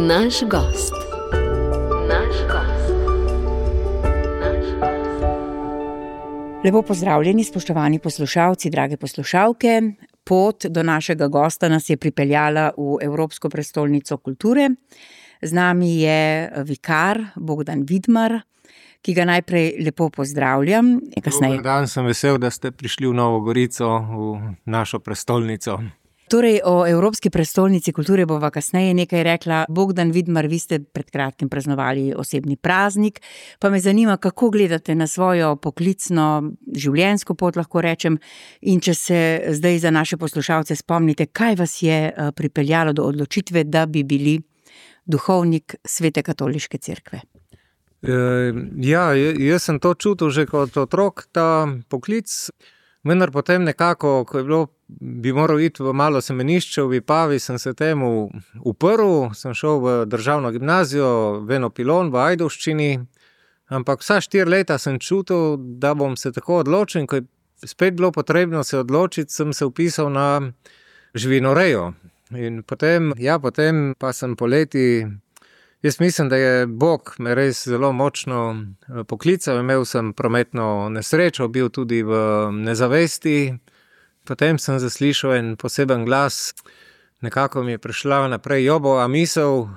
Naš gost. Lepo pozdravljeni, spoštovani poslušalci, drage poslušalke. Pot do našega gosta nas je pripeljala v Evropsko prestolnico kulture. Z nami je vikar Bogdan Vidmar, ki ga najprej lepo pozdravljam. Dober dan, sem vesel, da ste prišli v Novo Gorico, v našo prestolnico. Torej, o Evropski prestolnici kulture bova kasneje nekaj rekla. Bogdan Vidmar, vi ste pred kratkim praznovali osebni praznik, pa me zanima, kako gledate na svojo poklicno življenjsko pot, lahko rečem, in če se zdaj za naše poslušalce spomnite, kaj vas je pripeljalo do odločitve, da bi bili duhovnik Svete katoliške cerkve. Jaz sem to čutil že kot otrok, ta poklic, vendar potem nekako, ko je bilo, bi moral iti v malo semenišče v Vipavi, sem se temu uprl, sem šel v državno gimnazijo, v eno Pilon, v Ajdovščini, ampak vsa 4 leta sem čutil, da bom se tako odločil, in ko je spet bilo potrebno se odločiti, sem se vpisal na živinorejo. In potem pa sem poleti, jaz mislim, da je Bog me res zelo močno poklical, imel sem prometno nesrečo, bil tudi v nezavesti, potem sem zaslišal en poseben glas, nekako mi je prišla naprej Jobova misel,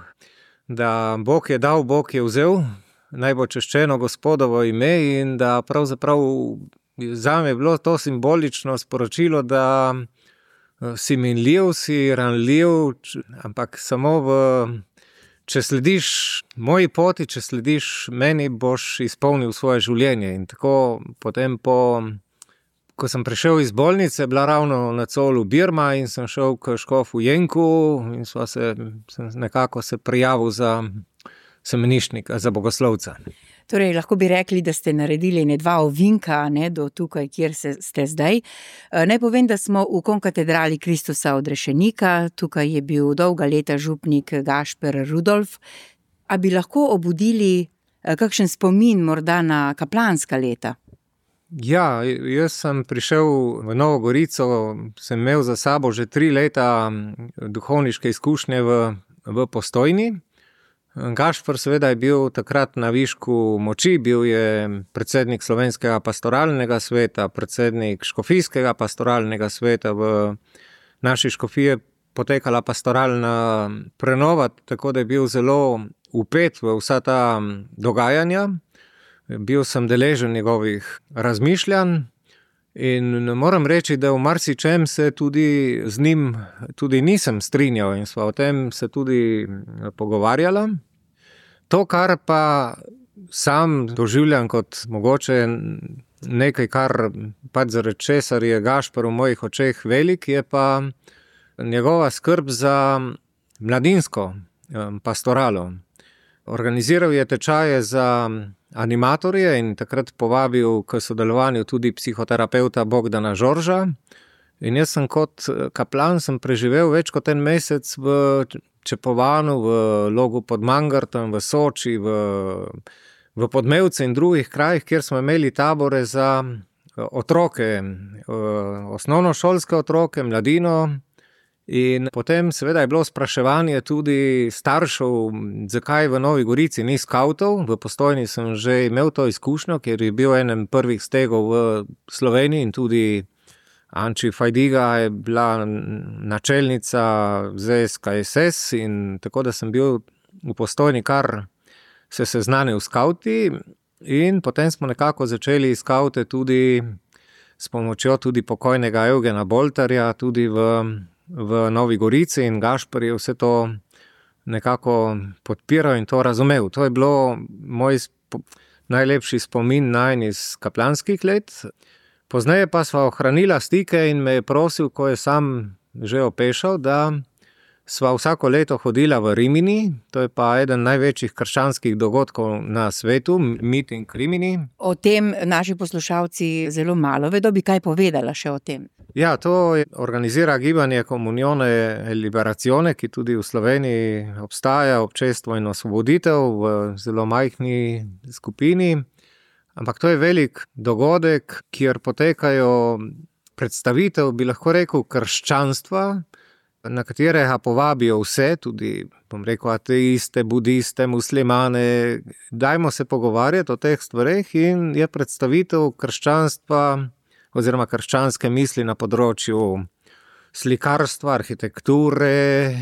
da Bog je dal, Bog je vzel, naj bo češčeno Gospodovo ime, in da pravzaprav zame je bilo to simbolično sporočilo, da si minljiv, si ranljiv, ampak samo če slediš moji poti, če slediš meni, boš izpolnil svoje življenje. In tako potem ko sem prišel iz bolnice, bila ravno na Colu Birma in sem šel k škofu Jenku in sem nekako se prijavil za semeniščnika, za bogoslovca. Torej, lahko bi rekli, da ste naredili 2 ovinka, do tukaj, kjer ste zdaj. Naj povem, da smo v konkatedrali Kristusa odrešenika, tukaj je bil dolga leta župnik Gašper Rudolf. A bi lahko obudili kakšen spomin morda na kaplanska leta? Ja, jaz sem prišel v Novo Gorico, sem imel za sabo že 3 leta duhovniške izkušnje v Postojni. Gašper seveda je bil takrat na višku moči, bil je predsednik Slovenskega pastoralnega sveta, predsednik Škofijskega pastoralnega sveta, v naši škofiji je potekala pastoralna prenova, tako da je bil zelo vpet v vsa ta dogajanja. Bil sem deležen njegovih razmišljanj in moram reči, da v marsičem se tudi z njim tudi nisem strinjal in sva o tem se tudi pogovarjala. To, kar pa sam doživljam kot mogoče nekaj, kar pač zaradi česar je Gašper v mojih očeh velik, je pa njegova skrb za mladinsko pastoralo. Organiziral je tečaje za animatorje in takrat povabil k sodelovanju tudi psihoterapeuta Bogdana Žorža. In jaz sem kot kaplan preživel več kot 1 mesec v Čepovanu, v Logu pod Mangartom, v Soči, v Podmevce in drugih krajih, kjer smo imeli tabore za otroke, osnovnošolske otroke, mladino. In potem seveda je bilo spraševanje tudi staršev, zakaj v Novi Gorici ni skavtov. V Postojni sem že imel to izkušnjo, ker je bil enem prvih stegov v Sloveniji in tudi Anči Fajdiga je bila načelnica ZSKSS in tako da sem bil v Postojni kar se seznanil s skavti in potem smo nekako začeli skavte tudi s pomočjo tudi pokojnega Evgena Boltarja tudi v Novi Gorici in Gašper je vse to nekako podpiral in to razumel. To je bilo moj najlepši spomin najin iz kaplanskih let. Pozneje pa sva ohranila stike in me je prosil, ko je sam že opešal, da sva vsako leto hodila v Rimini, to je pa eden največjih krščanskih dogodkov na svetu, Meeting Rimini. O tem naši poslušalci zelo malo vedo, bi kaj povedala še o tem? Ja, to organizira gibanje Comunione Liberazione, ki tudi v Sloveniji obstaja, Občestvo in osvoboditev v zelo majhni skupini. Ampak to je velik dogodek, kjer potekajo predstavitev, bi lahko rekel, krščanstva na katere ga povabijo vse, tudi, bom rekel, ateiste, budiste, muslimane. Dajmo se pogovarjati o teh stvareh in je predstavitev krščanstva oziroma krščanske misli na področju slikarstva, arhitekture,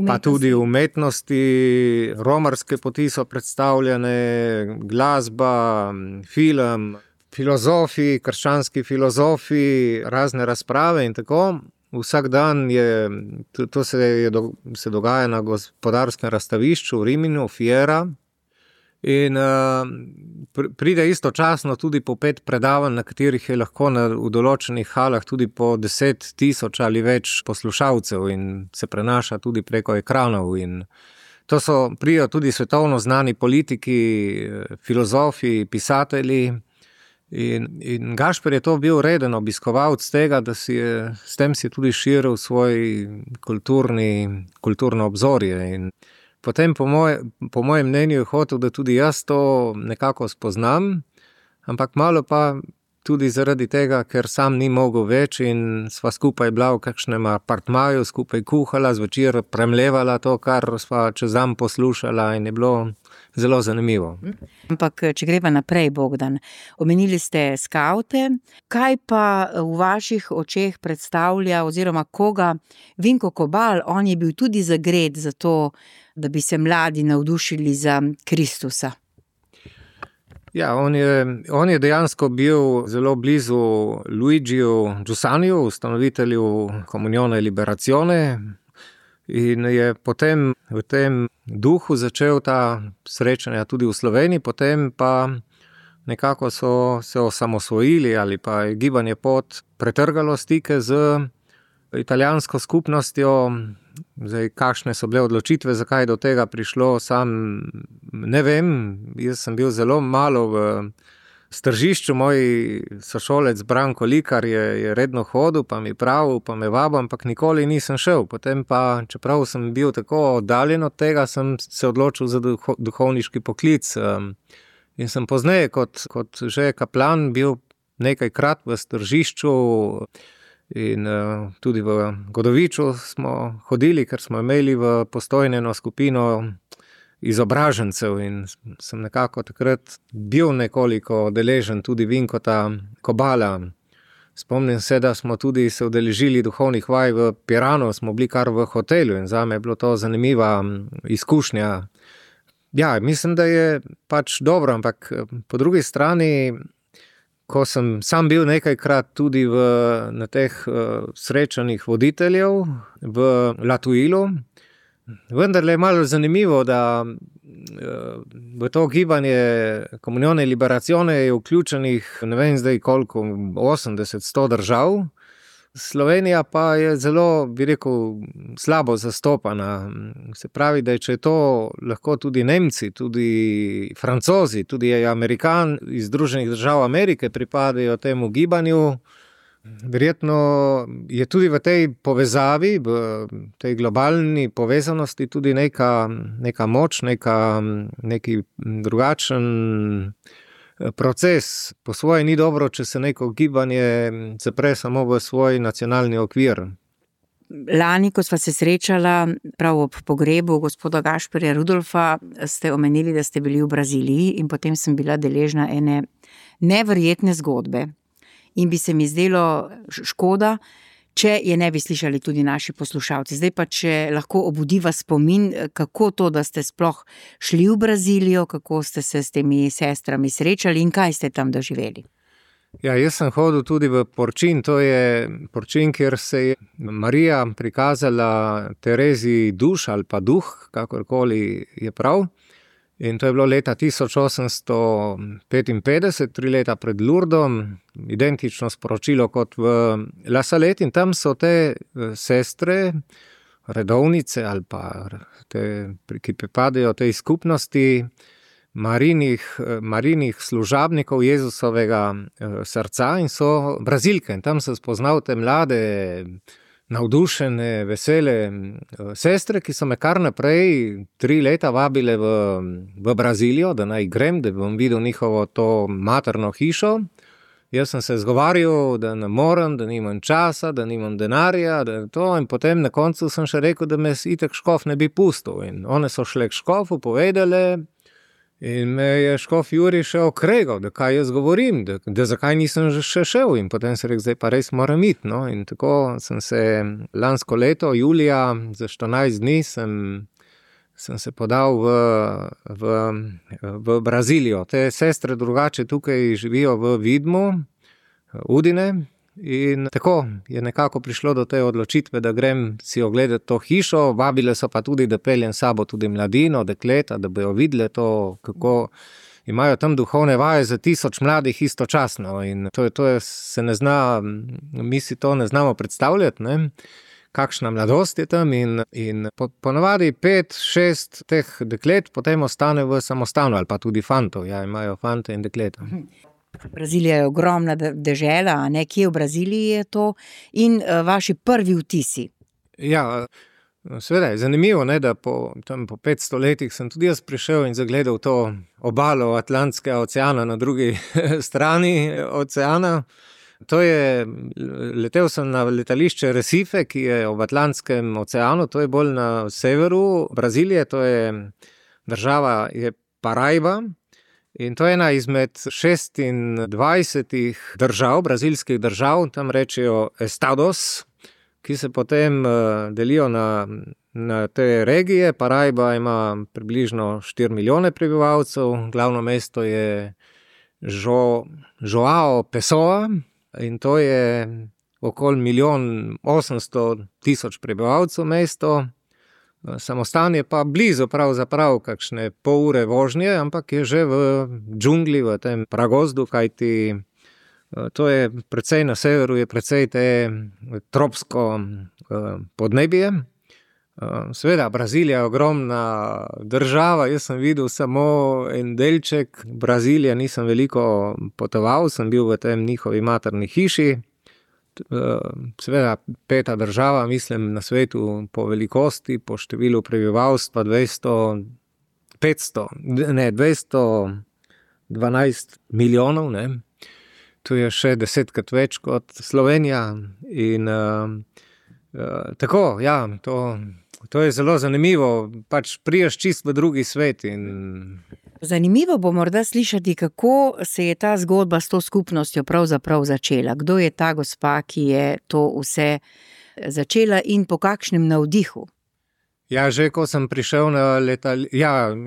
pa tudi umetnosti, romarske poti so predstavljene, glasba, film, filozofi, krščanski filozofi, razne razprave in tako. Vsak dan to se dogaja na gospodarskem razstavišču v Riminu, Fiera. In pride istočasno tudi po 5 predavanj, na katerih je lahko v določenih halah tudi po 10.000 ali več poslušalcev in se prenaša tudi preko ekranov. In to pridejo tudi svetovno znani politiki, filozofi, pisatelji. In Gašper je to bil reden obiskovalec tega, da s tem si tudi širil svoj kulturno obzorje. In potem po mojem mnenju je hotel, da tudi jaz to nekako spoznam, ampak malo pa tudi zaradi tega, ker sam ni mogel več in sva skupaj bila v kakšnem apartmaju, skupaj kuhala, zvečer premlevala to, kar sva čez dan poslušala in je bilo zelo zanimivo. Ampak, če greva naprej, Bogdan, omenili ste skavte, kaj pa v vaših očeh predstavlja oziroma koga Vinko Kobal, on je bil tudi zagret za to, da bi se mladi navdušili za Kristusa. Ja, on je dejansko bil zelo blizu Luigiju Giusaniju, ustanovitelju Comunione Liberazione, in je potem v tem duhu začel ta srečanja tudi v Sloveniji, potem pa nekako so se osamosvojili ali pa je Gibanje Pot pretrgalo stike z italijansko skupnostjo. Zdaj, kakšne so bile odločitve, zakaj je do tega prišlo, sam ne vem. Jaz sem bil zelo malo v Stržišču, moj sošolec Branko Likar je redno hodil, pa mi pravil, pa me vabil, ampak nikoli nisem šel. Potem pa, čeprav sem bil tako oddaljen od tega, sem se odločil za duhovniški poklic. In sem pozneje kot že kaplan bil nekajkrat v Stržišču in tudi v Godoviču smo hodili, ker smo imeli v Postojni eno skupino izobražencev in sem nekako takrat bil nekoliko deležen tudi Vinkota Kobala. Spomnim se, da smo tudi se udeležili duhovnih vaj v Piranu, smo bili kar v hotelu in zame je bilo to zanimiva izkušnja. Ja, mislim, da je pač dobro, ampak po drugi strani, ko sem sam bil nekajkrat tudi na teh srečanjih voditeljev v Latuilu, vendar je malo zanimivo, da v to gibanje Comunione Liberazione je vključenih, ne vem zdaj koliko, 80-100 držav. Slovenija pa je zelo, bi rekel, slabo zastopana. Se pravi, da če to lahko tudi Nemci, tudi Francozi, tudi Amerikan iz Združenih držav Amerike pripadajo temu gibanju, verjetno je tudi v tej povezavi, v tej globalni povezanosti tudi neka moč, neki drugačen proces. Po svoje ni dobro, če se neko gibanje zapre samo v svoj nacionalni okvir. Lani, ko sva se srečala prav ob pogrebu gospoda Gašperja Rudolfa, ste omenili, da ste bili v Braziliji in potem sem bila deležna ene neverjetne zgodbe. In bi se mi zdelo škoda, če je ne bi slišali tudi naši poslušalci. Zdaj pa, če lahko obudiva spomin, kako to, da ste sploh šli v Brazilijo, kako ste se s temi sestrami srečali in kaj ste tam doživeli? Ja, jaz sem hodil tudi v Porčin, to je Porčin, kjer se je Marija prikazala Tereziji duš ali pa duh, kakorkoli je prav. In to je bilo leta 1855, 3 leta pred Lourdom, identično sporočilo kot v La Salette, in tam so te sestre, redovnice ali pa te, ki pripadajo tej skupnosti Marijinih služabnikov Jezusovega srca in so Brazilke. In tam sem spoznal te mlade, navdušene, vesele sestre, ki so me kar naprej 3 leta vabile v Brazilijo, da naj grem, da bom videl njihovo to materno hišo. Jaz sem se zgovarjal, da ne morem, da nimam časa, da nimam denarja, da je to, in potem na koncu sem še rekel, da me itak škof ne bi pustil. In one so šle k škofu, povedale, in me je škof Jurij še okregal, da kaj jaz govorim, da zakaj nisem še šel. In potem sem rekel, zdaj pa res moram iti, no. In tako sem se lansko leto, julija, za 14 dni sem se podal v Brazilijo. Te sestre drugače tukaj živijo v Vidmu, Udine, in tako je nekako prišlo do te odločitve, da grem si ogledati to hišo. Vabile so pa tudi, da peljem s sabo tudi mladino, dekleta, da bojo videle to, kako imajo tam duhovne vaje za 1000 mladih istočasno. In to je, se ne zna, mi si to ne znamo predstavljati, ne? Kakšna mladost je tam, in ponavadi 5-6 teh deklet potem ostane v samostanu, ali pa tudi fantov, ja, imajo fante in dekleta. Brazilija je ogromna dežela, a ne, kje v Braziliji je to, in vaši prvi vtisi? Ja, seveda je zanimivo, ne, da po 500 letih sem tudi jaz prišel in zagledal to obalo Atlantskega oceana na drugi strani oceana. Letel sem na letališče Recife, ki je v Atlantskem oceanu, to je bolj na severu Brazilije, to je država je Paraiba, in to je ena izmed 26 držav, brazilskih držav, tam rečejo estados, ki se potem delijo na te regije. Paraiba ima približno 4 milijone prebivalcev, glavno mesto je João Pessoa, in to je okoli 1.800.000 prebivalcev mesto. Samostan je pa blizu, pravzaprav kakšne pol ure vožnje, ampak je že v džungli, v tem pragozdu, kajti to je precej na severu, je precej te tropsko podnebje. Seveda, Brazilija je ogromna država, jaz sem videl samo en delček Brazilije, nisem veliko potoval, sem bil v tem njihovi materni hiši. Seveda, 5. država, mislim, na svetu po velikosti, po številu prebivalstva 212 milijonov, ne. To je še 10krat več kot Slovenija, in tako, ja, to je zelo zanimivo, pač priješ čisto v drugi svet. Zanimivo bo morda slišati, kako se je ta zgodba s to skupnostjo pravzaprav začela. Kdo je ta gospa, ki je to vse začela, in po kakšnem navdihu? Ja, že ko sem prišel na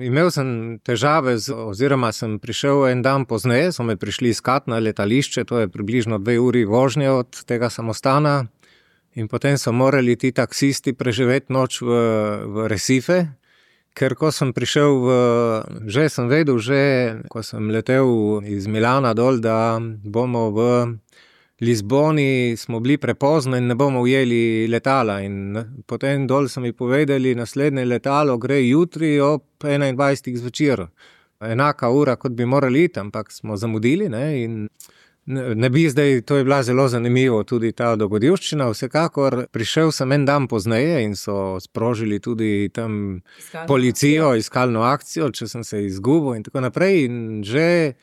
imel sem težave, oziroma sem prišel en dan pozneje, so me prišli iskat na letališče, to je približno 2 uri vožnje od tega samostana. In potem so morali ti taksisti preživeti noč v Recife, ker ko sem prišel že sem vedel, ko sem letel iz Milana dol, da bomo v Lizboni, smo bili prepozno in ne bomo ujeli letala. In potem dol so mi povedali, naslednje letalo gre jutri ob 21. zvečer. Enaka ura, kot bi morali iti, ampak smo zamudili, ne, in ne bi zdaj, to je bila zelo zanimivo tudi ta dogodivščina, vsekakor. Prišel sem en dan pozneje in so sprožili tudi tam policijo, iskalno akcijo, če sem se izgubil in tako naprej. In že,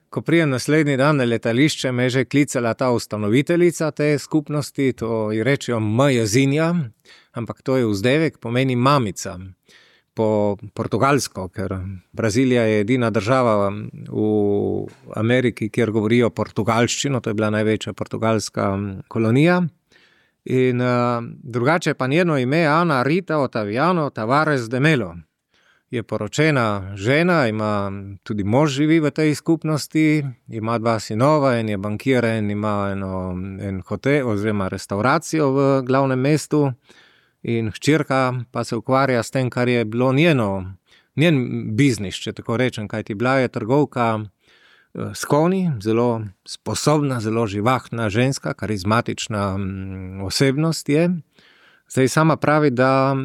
ko prijem naslednji dan na letališče, me je že klicala ta ustanoviteljica te skupnosti, to ji rečejo Mãezinha, ampak to je vzdevek, pomeni mamica. Po portugalsko, ker Brazilija je edina država v Ameriki, kjer govorijo portugalščino, to je bila največja portugalska kolonija. In drugače pa njeno ime Ana Rita Otaviano Tavares de Melo. Je poročena žena, ima tudi mož živi v tej skupnosti, ima 2 sinova, en je bankir, en ima en hotel oziroma restauracijo v glavnem mestu. In hčerka pa se ukvarja s tem, kar je bilo njen biznis, če tako rečem, kajti bila je trgovka s konji, zelo sposobna, zelo živahna ženska, karizmatična osebnost je. Zdaj sama pravi, da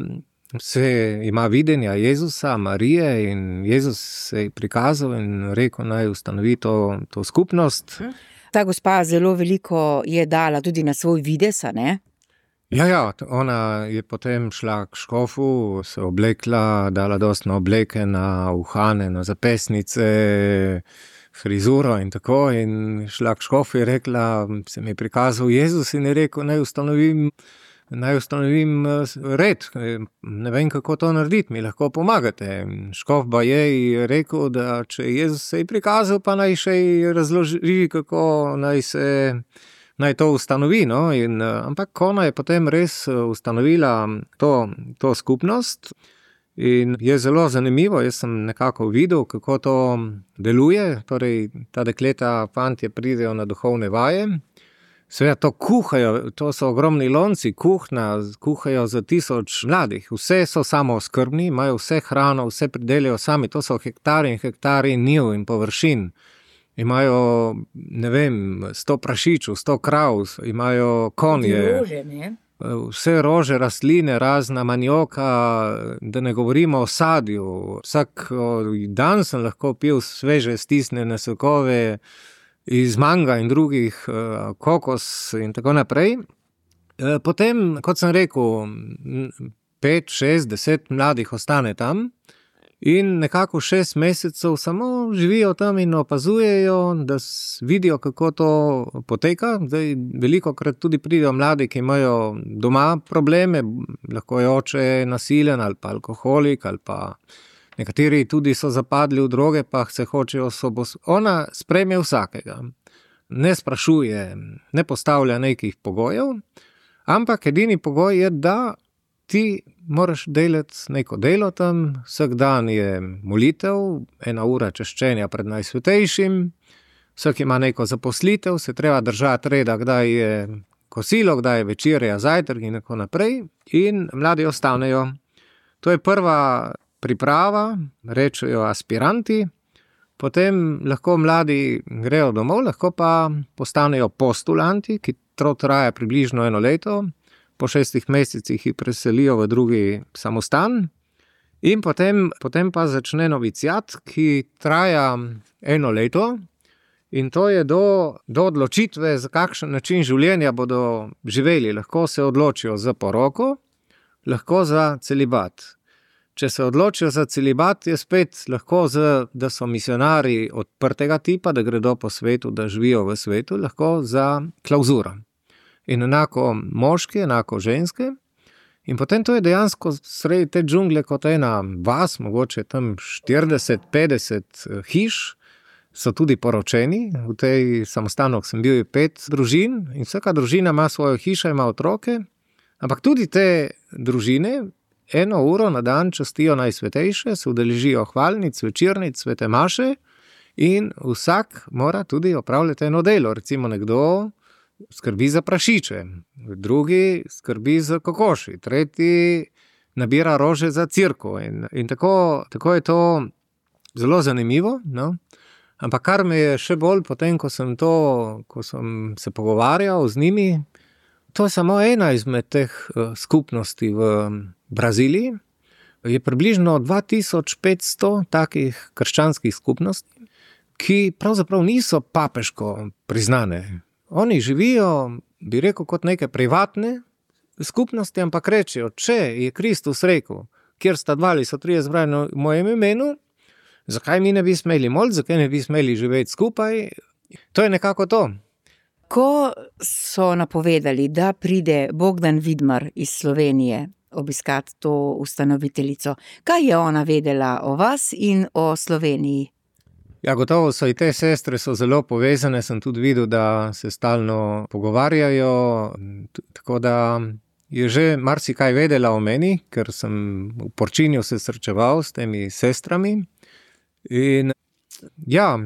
se ima videnja Jezusa, Marije, in Jezus se je prikazal in rekel, naj ustanovi to skupnost. Ta gospa zelo veliko je dala tudi na svoj videz, a ne? Ja, ona je potem šla k škofu, se oblekla, dala dosti na obleke, na uhane, na zapestnice, frizuro in tako, in šla k škofu in rekla, se mi je prikazal Jezus in je rekel, naj ustanovim red, ne vem, kako to narediti, mi lahko pomagate. Škof baje je rekel, da če Jezus se je prikazal, pa naj še razloži, kako naj to ustanovi, no, ampak ona je potem res ustanovila to skupnost in je zelo zanimivo, jaz sem nekako videl, kako to deluje, torej ta dekleta, fantje pridejo na duhovne vaje, seveda to kuhajo, to so ogromni lonci, kuhajo za 1000 mladih, vse so samooskrbni, imajo vse hrano, vse pridelajo sami, to so hektari in hektari njiv in površin. Imajo, ne vem, 100 prašičev, 100 krav, imajo konje. Rože, ne? Vse rože, rastline, razna manioka, da ne govorimo o sadju. Vsak dan sem lahko pil sveže stisnjene sokove iz manga in drugih, kokos in tako naprej. Potem, kot sem rekel, 5, 6, 10 mladih ostane tam. In nekako 6 mesecev samo živijo tam in opazujejo, da vidijo, kako to poteka. Zdaj, velikokrat tudi pridejo mladi, ki imajo doma probleme, lahko je oče nasilen ali pa alkoholik, ali pa nekateri tudi so zapadli v droge, pa se hočejo Ona sprejme vsakega. Ne sprašuje, ne postavlja nekih pogojev, ampak edini pogoj je, da ti moraš delati neko delo tam, vsak dan je molitev, 1 ura češčenja pred Najsvetejšim, vsak ima neko zaposlitev, se treba držati reda, kdaj je kosilo, kdaj je večerja, zajtrk in tako naprej, in mladi ostanejo. To je prva priprava, rečejo aspiranti, potem lahko mladi grejo domov, lahko pa postanejo postulanti, ki to traja približno 1 leto, po 6 mesecih jih preselijo v drugi samostan in potem pa začne noviciat, ki traja 1 leto in to je do odločitve, za kakšen način življenja bodo živeli. Lahko se odločijo za poroko, lahko za celibat. Če se odločijo za celibat, je spet lahko, da so misionari odprtega tipa, da gredo po svetu, da živijo v svetu, lahko za klauzuro. In enako moški, enako ženske. In potem to je dejansko sredi te džungle kot ena vas, mogoče tam 40-50 hiš, so tudi poročeni. V tej samostanu sem bil 5 družin in vsaka družina ima svojo hišo, ima otroke. Ampak tudi te družine 1 uro na dan častijo Najsvetejše, se udeležijo hvalnic, večernic, svete maše in vsak mora tudi opravljati eno delo. Recimo nekdo skrbi za prašiče, drugi skrbi za kokoši, tretji nabira rože za cirko in tako je to zelo zanimivo, no? Ampak kar me je še bolj potem, ko sem se pogovarjal z njimi, to je samo ena izmed teh skupnosti v Braziliji, je približno 2500 takih krščanskih skupnosti, ki pravzaprav niso papeško priznane. Oni živijo, bi rekel, kot neke privatne skupnosti, ampak rečejo, če je Kristus rekel, kjer sta 2 ali so 3 zbrani v mojem imenu, zakaj mi ne bi smeli moliti, zakaj ne bi smeli živeti skupaj? To je nekako to. Ko so napovedali, da pride Bogdan Vidmar iz Slovenije obiskati to ustanoviteljico, kaj je ona vedela o vas in o Sloveniji? Ja, gotovo so i te sestre so zelo povezane, sem tudi videl, da se stalno pogovarjajo, tako da je že marsikaj vedela o meni, ker sem v Porčinju se srečeval s temi sestrami. In ja,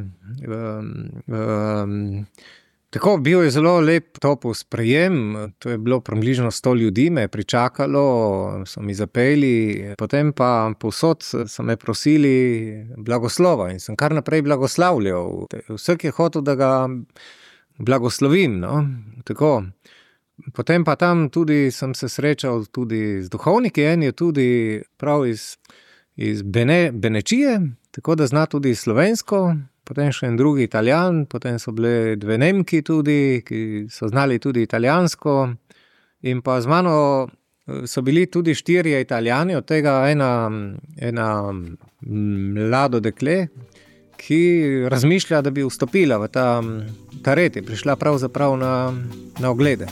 tako bil je zelo lep topel sprejem, to je bilo približno 100 ljudi, me je pričakalo, so mi zapeli, potem pa povsod so me prosili blagoslova in sem kar naprej blagoslavljal. Vsak je hotel, da ga blagoslovim, no, tako. Potem pa tam tudi sem se srečal tudi z duhovniki, en je tudi prav iz Benečije, tako da zna tudi slovensko, potem še en drugi Italijan, potem so bile 2 Nemki tudi, ki so znali tudi italijansko in pa z mano so bili tudi 4 Italijani, od tega ena mlado dekle, ki razmišlja, da bi vstopila v ta red, je prišla pravzaprav na oglede.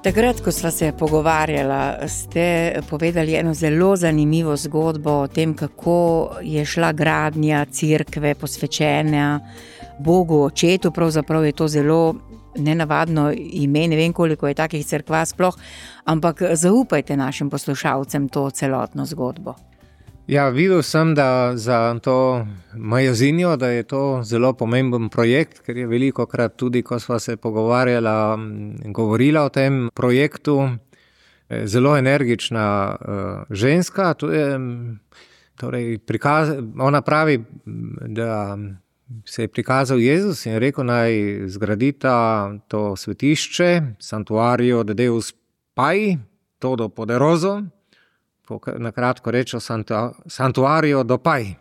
Takrat, ko sva se pogovarjala, ste povedali eno zelo zanimivo zgodbo o tem, kako je šla gradnja cerkve posvečena Bogu Očetu. Pravzaprav je to zelo nenavadno ime, ne vem, koliko je takih cerkva sploh, ampak zaupajte našim poslušalcem to celotno zgodbo. Ja, videl sem, da za to Majozinjo, da je to zelo pomemben projekt, ker je velikokrat tudi, ko sva se pogovarjala, govorila o tem projektu, zelo energična ženska. To je, torej, ona pravi, da se je prikazal Jezus in rekel, naj zgradita to svetišče, Santuario de Deus Pai, todo poderoso, na kratko rečo Santuario do Pai.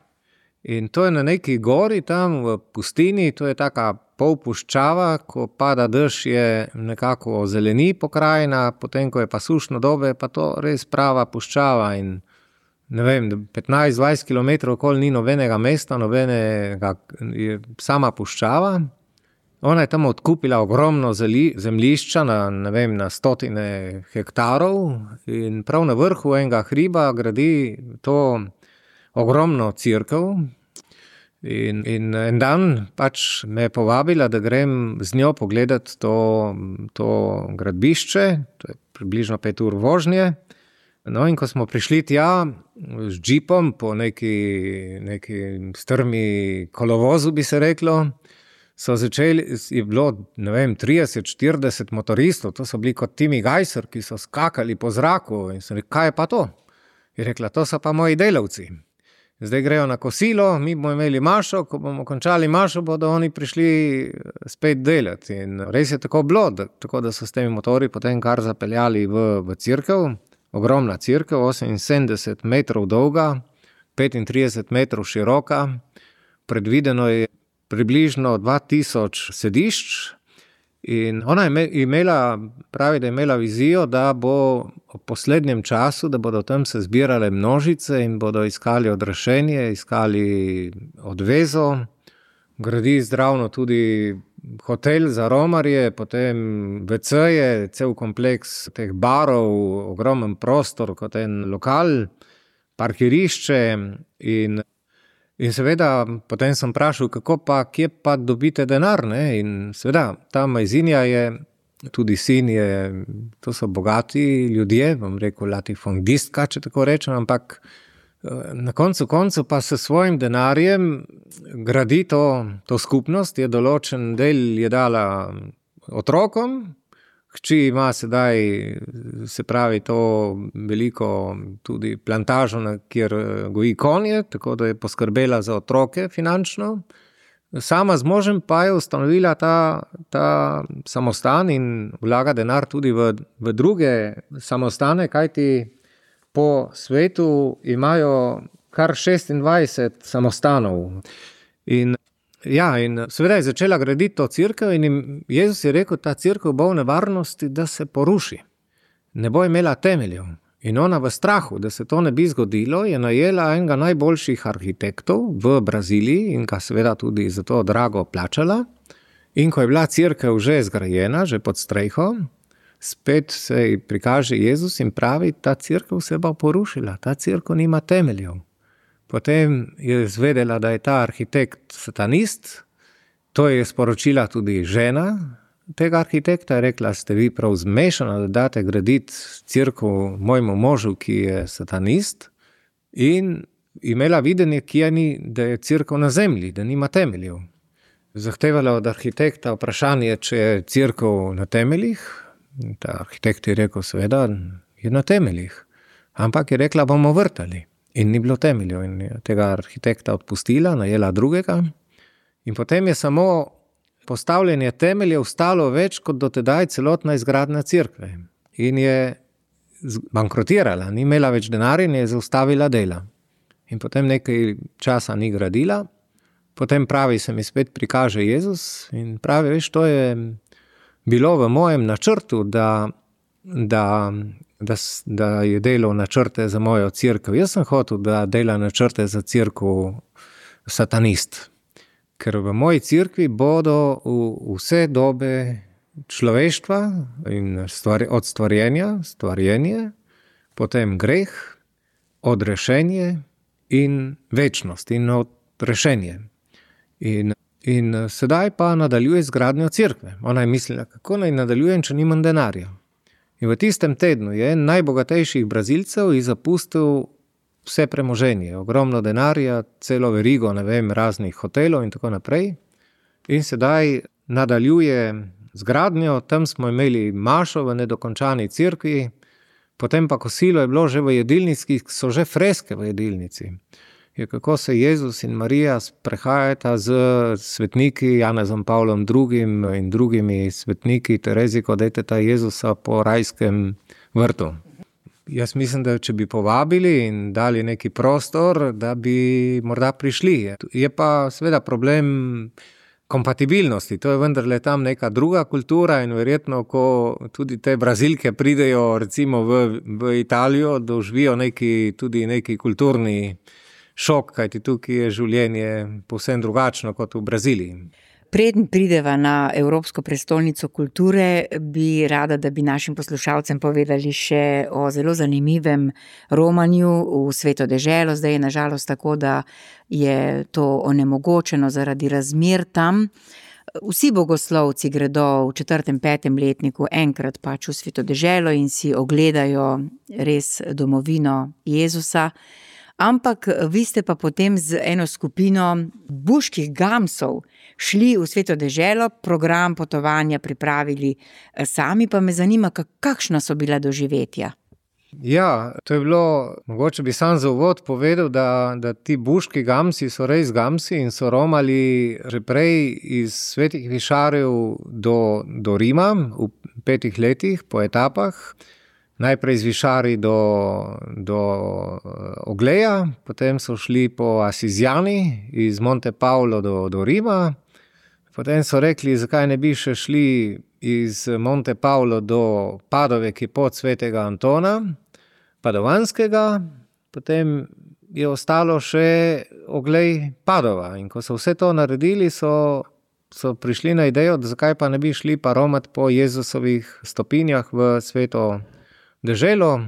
In to je na neki gori tam v pustini, to je taka polpuščava, ko pada dež, je nekako zeleni pokrajina, potem ko je pa sušno dobe, pa to res prava puščava in ne vem, 15-20 km okoli ni nobenega mesta, je sama puščava. Ona je tam odkupila ogromno zemljišča na stotine hektarov in prav na vrhu enega hriba gradi to ogromno cerkev. In en dan pač me je povabila, da grem z njo pogledati to gradbišče, to je približno 5 ur vožnje. No, in ko smo prišli tja z džipom po neki strmi kolovozu, bi se reklo, je bilo, ne vem, 30-40 motoristov, to so bili kot Timmy Geiser, ki so skakali po zraku in sem rekel, kaj je pa to? Je rekla, to so pa moji delavci. Zdaj grejo na kosilo, mi bomo imeli mašo, ko bomo končali mašo, bodo oni prišli spet delati. In res je tako bilo, tako da so s temi motori potem kar zapeljali v cerkev, ogromna cerkev, 78 metrov dolga, 35 metrov široka, predvideno je približno 2000 sedišč in ona je pravi, da je imela vizijo, da bo v poslednjem času, da bodo tam se zbirale množice in bodo iskali odrešenje, iskali odvezo, gradi zdravno tudi hotel za romarje, potem WC-je, cel kompleks teh barov, ogromen prostor kot en lokal, parkirišče in seveda, potem sem vprašal, kje pa dobite denar, ne? In seveda, ta Majzinja je, tudi sin je, to so bogati ljudje, bom rekel latifundistka, če tako rečem, ampak na koncu pa s svojim denarjem gradi to skupnost, je določen del je dala otrokom, hči ima sedaj, se pravi, to veliko tudi plantažo, kjer goji konje, tako da je poskrbela za otroke finančno. Sama z možem pa je ustanovila ta samostan in vlaga denar tudi v druge samostane, kajti po svetu imajo kar 26 samostanov. In seveda je začela graditi to cerkev in Jezus je rekel, ta cerkev bo v nevarnosti, da se poruši. Ne bo imela temeljev. In ona v strahu, da se to ne bi zgodilo, je najela enega najboljših arhitektov v Braziliji in ga seveda tudi za to drago plačala. In ko je bila cerkev že zgrajena, že pod streho, spet se ji prikaže Jezus in pravi, ta cerkev se bo porušila, ta cerkev nima temeljev. Potem je izvedela, da je ta arhitekt satanist, to je sporočila tudi žena tega arhitekta, je rekla, ste vi prav zmešana, da date graditi cerkev mojemu možu, ki je satanist, in imela videnje, da je cerkev na zemlji, da nima temeljev. Zahtevala od arhitekta vprašanje, če je cerkev na temeljih. Ta arhitekt je rekel, seveda, je na temeljih. Ampak je rekla, bomo vrtali. In ni bilo temeljev. In je tega arhitekta odpustila, najela drugega. In potem je samo postavljanje temeljev stalo več kot dotedaj celotna izgradnja cerkve. In je bankrotirala, ni imela več denarja in je zaustavila dela. In potem nekaj časa ni gradila. Potem pravi, se mi spet prikaže Jezus in pravi, veš, to je bilo v mojem načrtu, da je delal načrte za mojo cerkev. Jaz sem hotel, da dela načrte za cerkev satanist. Ker v moji cerkvi bodo vse dobe človeštva in od stvarjenje, potem greh, odrešenje in večnost in odrešenje. In sedaj pa nadaljuje z gradnjo cerkve. Ona je mislila, kako naj nadaljujem, če nimam denarja. In v tistem tednu je en najbogatejših Brazilcev zapustil vse premoženje, ogromno denarja, celo verigo, raznih hotelov in tako naprej. In sedaj nadaljuje z gradnjo, tam smo imeli mašo v nedokončani cerkvi, potem pa kosilo je bilo že v jedilnici, so že freske v jedilnici. Je kako se Jezus in Marija sprehajata z svetniki Janezom Pavlom II. In drugimi svetniki Tereziko Deteta Jezusa po rajskem vrtu. Jaz mislim, da če bi povabili in dali neki prostor, da bi morda prišli. Je pa seveda problem kompatibilnosti, to je vendarle tam neka druga kultura in verjetno, ko tudi te Brazilke pridejo recimo v Italijo, doživijo tudi neki kulturni šok, kajti tukaj je življenje povsem drugačno kot v Braziliji. Preden prideva na Evropsko prestolnico kulture, bi rada, da bi našim poslušalcem povedali še o zelo zanimivem romanju v Sveto deželo. Zdaj je nažalost tako, da je to onemogočeno zaradi razmer tam. Vsi bogoslovci gredo v 4., 5. letniku enkrat pač v Sveto deželo in si ogledajo res domovino Jezusa. Ampak vi ste pa potem z eno skupino buških gamsov šli v Sveto deželo, program potovanja pripravili sami, pa me zanima, kakšna so bila doživetja. Ja, to je bilo, mogoče bi sam za uvod povedal, da ti buški gamsi so res gamsi in so romali že prej iz Svetih višarjev do Rima v 5 letih po etapah. Najprej z višari do Ogleja, potem so šli po Asizjani iz Monte Paulo do Rima, potem so rekli, zakaj ne bi še šli iz Monte Paulo do Padove, ki je pot svetega Antona, Padovanskega, potem je ostalo še Oglej Padova. In ko so vse to naredili, so prišli na idejo, da zakaj pa ne bi šli pa romat po Jezusovih stopinjah v Sveto deželo.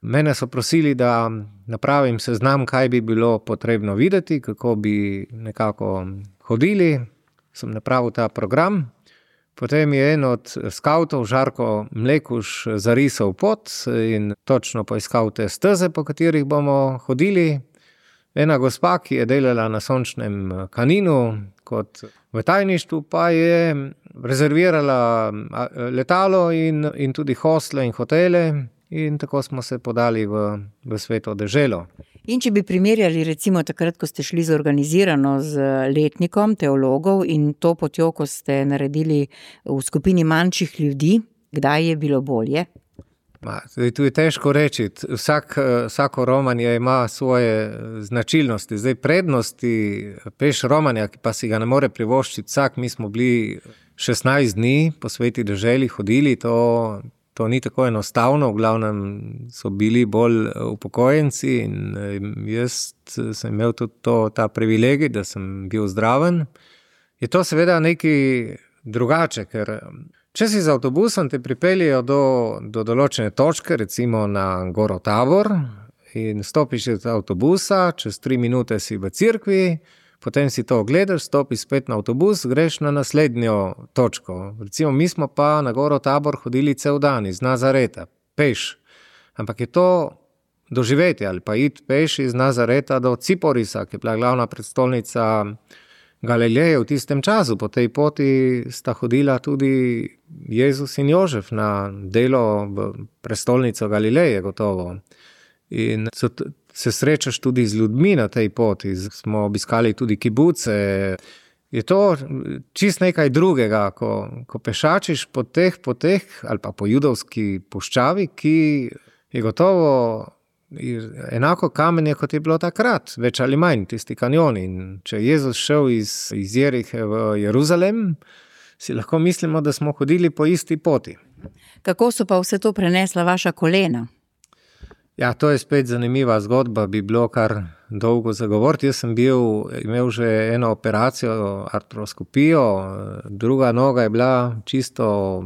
Mene so prosili, da napravim seznam, kaj bi bilo potrebno videti, kako bi nekako hodili. Sem napravil ta program. Potem je en od skavtov, Žarko Mlekuš, zarisal pot in točno poiskal te steze, po katerih bomo hodili. Ena gospa, ki je delala na Sončnem Kaninu kot v tajništvu, pa je rezervirala letalo in tudi hostle in hotele in tako smo se podali v Sveto deželo. In če bi primerjali recimo takrat, ko ste šli zorganizirano z letnikom teologov in to potjo, ko ste naredili v skupini manjših ljudi, kdaj je bilo bolje? Zdaj, tu je težko reči, vsako romanje ima svoje značilnosti. Zdaj, prednosti peš romanja, ki pa si ga ne more privoščiti vsak, mi smo bili 16 dni po Sveti deželi hodili, to ni tako enostavno, v glavnem so bili bolj upokojenci in jaz sem imel tudi ta privilegij, da sem bil zdraven. Je to seveda nekaj drugače, ker če si z avtobusom te pripeljejo do določene točke, recimo na Goro Tabor, in stopiš iz avtobusa, čez 3 minute si v cerkvi, potem si to ogledaš, stopiš spet na avtobus, greš na naslednjo točko. Recimo, mi smo pa na Goro Tabor hodili cel dan iz Nazareta, peš. Ampak je to doživeti ali pa iti peš iz Nazareta do Ciporisa, ki je bila glavna prestolnica Galileje v tistem času. Po tej poti sta hodila tudi Jezus in Jožef na delo v prestolnico Galileje, gotovo. In se srečaš tudi z ljudmi na tej poti. Smo obiskali tudi kibuce. Je to čist nekaj drugega, ko pešačiš po teh poteh ali pa po judovski puščavi, ki je gotovo enako kamenje, kot je bilo takrat, več ali manj, tisti kanjoni. In če je Jezus šel iz Jerihe v Jeruzalem, si lahko mislimo, da smo hodili po isti poti. Kako so pa vse to prenesla vaša kolena? Ja, to je spet zanimiva zgodba, bi bilo kar dolgo zagovoriti. Jaz sem imel že eno operacijo, artroskopijo, druga noga je bila čisto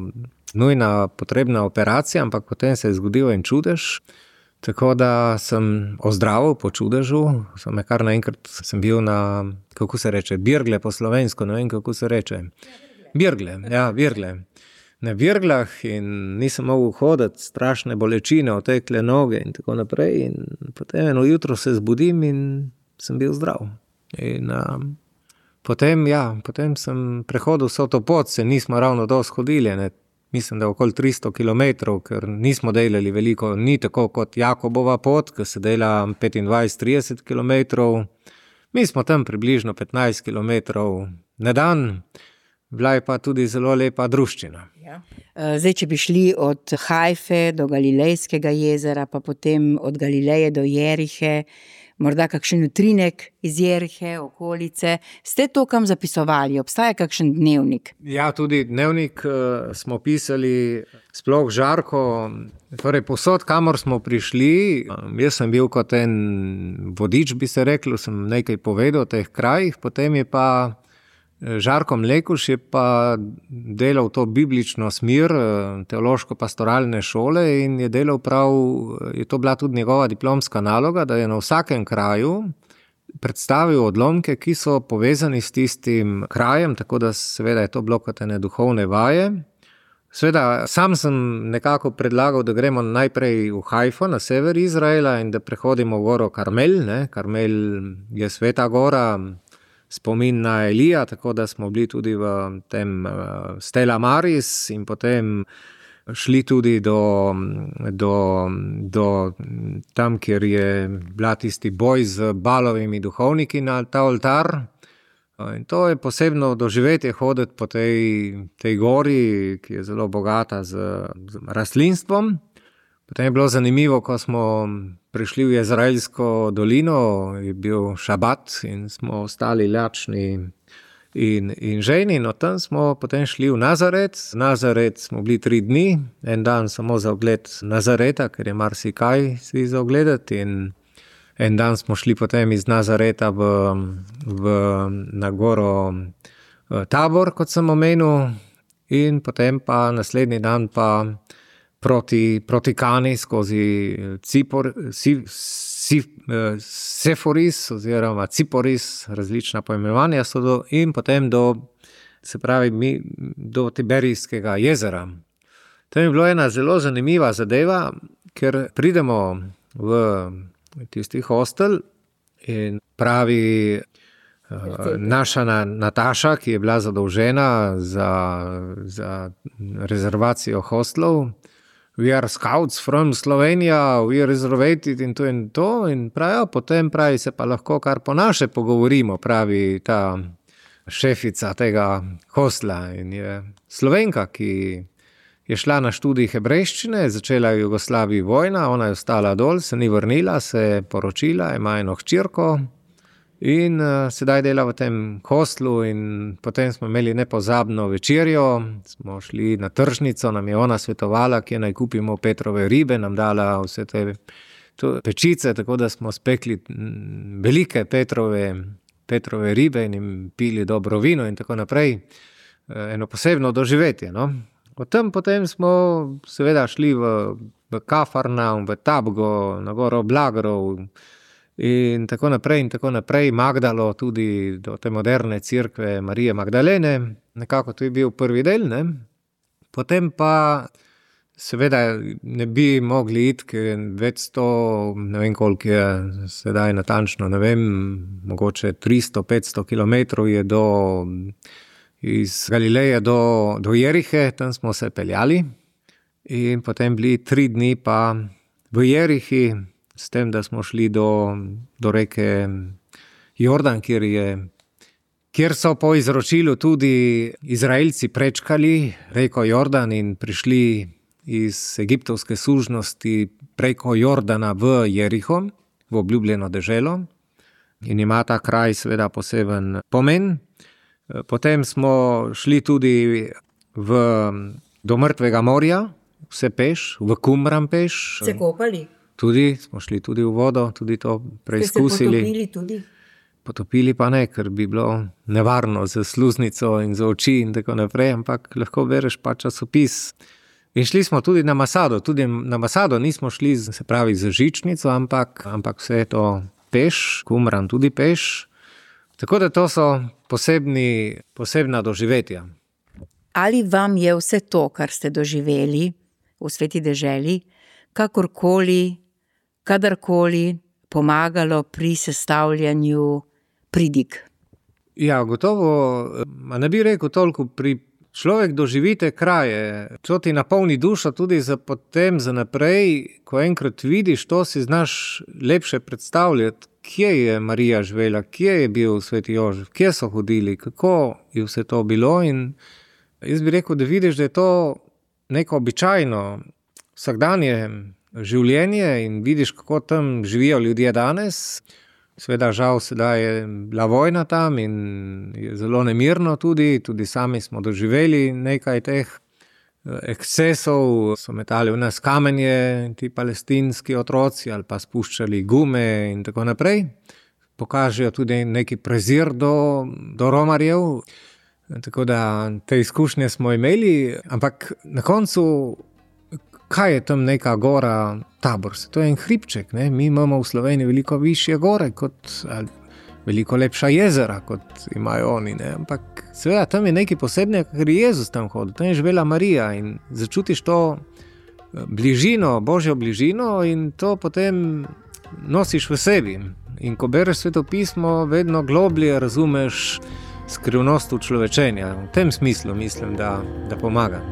nujna, potrebna operacija, ampak potem se je zgodil en čudež. Tako da sem ozdravil po čudežu, kar naenkrat sem bil na, kako se reče, birgle po slovensko, ne vem, kako se reče. Birgle, ja, birgle. Na birglah in nisem mogel hoditi, strašne bolečine, otekle noge in tako naprej. In potem eno jutro se zbudim in sem bil zdrav. In potem sem prehodil vso to pot, se nismo ravno dosti hodili, ne. Mislim, da okoli 300 kilometrov, ker nismo delali veliko, ni tako kot Jakobova pot, ki se dela 25-30 kilometrov. Mi smo tam približno 15 kilometrov na dan, bila je pa tudi zelo lepa druščina. Ja. Zdaj, če bi šli od Hajfe do Galilejskega jezera, pa potem od Galileje do Jerihe, morda kakšen utrinek iz Jerihe, okolice. Ste to kam zapisovali? Obstaja kakšen dnevnik? Ja, tudi dnevnik smo pisali, sploh Žarko. Torej, povsod, kamor smo prišli, jaz sem bil kot en vodič, bi se reklo, sem nekaj povedal o teh krajih, potem je pa Žarko Mlekuš je pa delal to biblično smer, teološko-pastoralne šole in je delal je to bila tudi njegova diplomska naloga, da je na vsakem kraju predstavil odlomke, ki so povezani s tistim krajem, tako da seveda je to bilo kot ene duhovne vaje. Seveda, sam sem nekako predlagal, da gremo najprej v Hajfo, na sever Izraela in da prehodimo v goro Karmel, ne. Karmel je sveta gora, spomin na Elija, tako da smo bili tudi v tem Stella Maris in potem šli tudi do tam, kjer je bila tisti boj z Balovimi duhovniki na ta oltar. In to je posebno doživetje hoditi po tej gori, ki je zelo bogata z rastlinstvom. Potem je bilo zanimivo, ko smo prišli v Jezraelsko dolino, je bil šabat in smo ostali lačni in žejni. No, tam smo potem šli v Nazaret. Nazaret smo bili 3 dni, en dan samo za ogled Nazareta, ker je marsikaj si za ogledati. In en dan smo šli potem iz Nazareta na goro Tabor, kot sem omenil, in potem pa naslednji dan pa proti Kani skozi Seforis oziroma Ciporis, različna poimenovanja so in potem do Tiberijskega jezera. Tam je bilo ena zelo zanimiva zadeva, ker pridemo v tisti hostel in pravi naša Nataša, ki je bila zadolžena za rezervacijo hostlov, we are scouts from Slovenia, we are reservated in to. In pravijo, potem se pa lahko kar po naše pogovorimo, pravi ta šefica tega hostla. In je Slovenka, ki je šla na študij hebrejščine, začela v Jugoslaviji vojna, ona je ostala dol, se ni vrnila, se je poročila, ima eno hčerko in sedaj dela v tem hostlu. In potem smo imeli nepozabno večerjo, smo šli na tržnico, nam je ona svetovala, kje naj kupimo Petrove ribe, nam dala vse te pečice, tako da smo spekli velike Petrove ribe in jim pili dobro vino in tako naprej. Eno posebno doživetje, no. Potem smo seveda šli v Kafarnaum, v Tabgo, na goro Blagrov in tako naprej, Magdalo, tudi do te moderne cerkve Marije Magdalene. Nekako to je bil prvi del, ne. Potem pa seveda ne bi mogli iti, ker več 100, ne vem koliko je sedaj natančno, ne vem, mogoče 300-500 kilometrov je iz Galileje do Jerihe, tam smo se peljali in potem bili 3 dni pa v Jerihi, s tem, da smo šli do reke Jordan, kjer so po izročilu tudi Izraelci prečkali reko Jordan in prišli iz egiptovske sužnosti preko Jordana v Jeriho, v obljubljeno deželo, in ima ta kraj seveda poseben pomen. Potem smo šli tudi do Mrtvega morja, vse peš, v Qumran peš. Se kopali? Tudi, smo šli tudi v vodo, tudi to preizkusili. Ste se potopili tudi? Potopili pa ne, ker bi bilo nevarno za sluznico in za oči in tako naprej, ampak lahko bereš pa časopis. In šli smo tudi na Masado nismo šli, se pravi, z žičnico, ampak vse to peš, Qumran tudi peš. Tako da to so posebna doživetja. Ali vam je vse to, kar ste doživeli v Sveti deželi, kakorkoli, kadarkoli pomagalo pri sestavljanju pridig? Ja, gotovo, ne bi rekel toliko človek doživi te kraje, to ti napolni dušo tudi potem za naprej, ko enkrat vidiš to, si znaš lepše predstavljati, kje je Marija živela, kje je bil Sveti Jožef, kje so hodili, kako je vse to bilo. In jaz bi rekel, da vidiš, da je to neko običajno vsakdanje življenje in vidiš, kako tam živijo ljudje danes. Seveda žal sedaj je bila vojna tam in je zelo nemirno tudi sami smo doživeli nekaj teh ekscesov, so metali v nas kamenje, ti palestinski otroci, ali pa spuščali gume in tako naprej. Pokažejo tudi neki prezir do romarjev, tako da te izkušnje smo imeli, ampak na koncu, kaj je tam neka gora Tabor? To je en hribček, ne? Mi imamo v Sloveniji veliko višje gore, veliko lepša jezera, kot imajo oni, ne? Ampak seveda tam je nekaj posebnega, ker je Jezus tam hodil, tam je živela Marija in začutiš to bližino, Božjo bližino in to potem nosiš v sebi. In ko bereš Sveto pismo, vedno globlje razumeš skrivnost človečenja. V tem smislu mislim, da pomaga.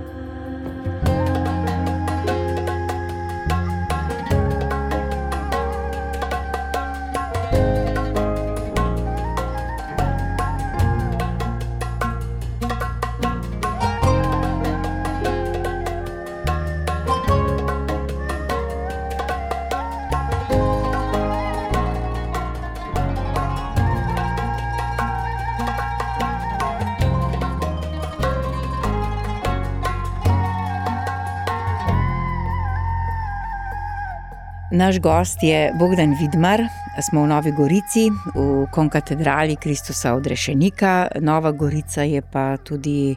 Naš gost je Bogdan Vidmar, smo v Novi Gorici, v konkatedrali Kristusa Odrešenika. Nova Gorica je pa tudi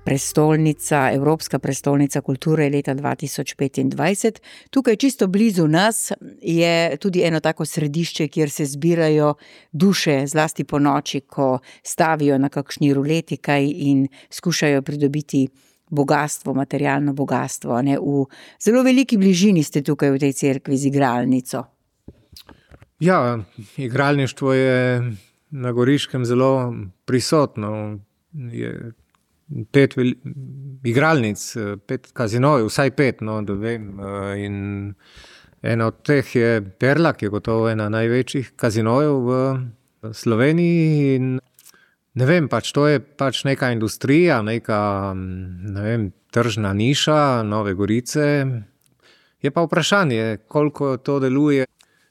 prestolnica, Evropska prestolnica kulture leta 2025. Tukaj čisto blizu nas je tudi eno tako središče, kjer se zbirajo duše, zlasti po noči, ko stavijo na kakšni ruleti kaj in skušajo pridobiti bogastvo, materialno bogastvo, ne? V zelo veliki bližini ste tukaj v tej cerkvi z igralnico. Ja, igralništvo je na Goriškem zelo prisotno. Je 5 igralnic, 5 kazinojev, vsaj 5, no, da vem. In ena od teh je Perla, ki je gotovo ena največjih kazinojev v Sloveniji. In ne vem, to je neka industrija, neka, ne vem, tržna niša Nove Gorice. Je pa vprašanje, koliko to deluje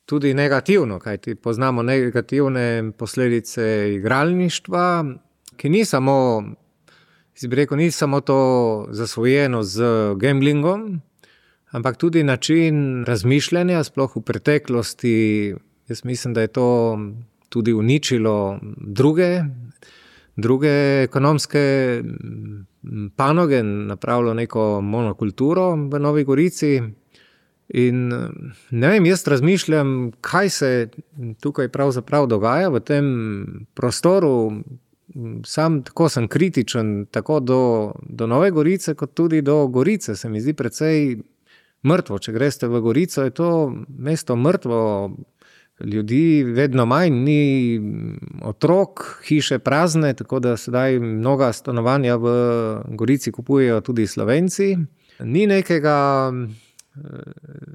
tudi negativno, kajti poznamo negativne posledice igralništva, ki ni samo to zasvojeno z gamblingom, ampak tudi način razmišljanja, sploh v preteklosti. Jaz mislim, da je to tudi uničilo druge druge ekonomske panoge, napravilo neko monokulturo v Novi Gorici. In ne vem, jaz razmišljam, kaj se tukaj pravzaprav dogaja v tem prostoru. Sam tako sem kritičen tako do Nove Gorice, kot tudi do Gorice. Se mi zdi precej mrtvo. Če greste v Gorico, je to mesto mrtvo, ljudi vedno manj, ni otrok, hiše prazne, tako da sedaj mnoga stanovanja v Gorici kupujejo tudi Slovenci. Ni nekega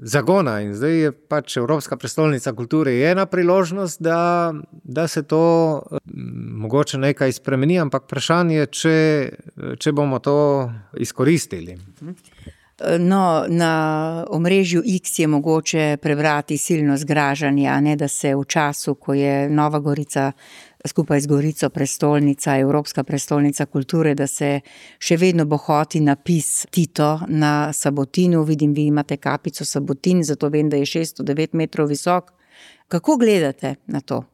zagona in zdaj je pač Evropska prestolnica kulture ena priložnost, da se to mogoče nekaj spremeni, ampak vprašanje je, če bomo to izkoristili. No, na omrežju X je mogoče prebrati silno zgražanje, a ne, da se v času, ko je Nova Gorica skupaj z Gorico prestolnica, Evropska prestolnica kulture, da se še vedno bohoti napis Tito na Sabotinu. Vidim, vi imate kapico Sabotin, zato vem, da je 609 metrov visok. Kako gledate na to?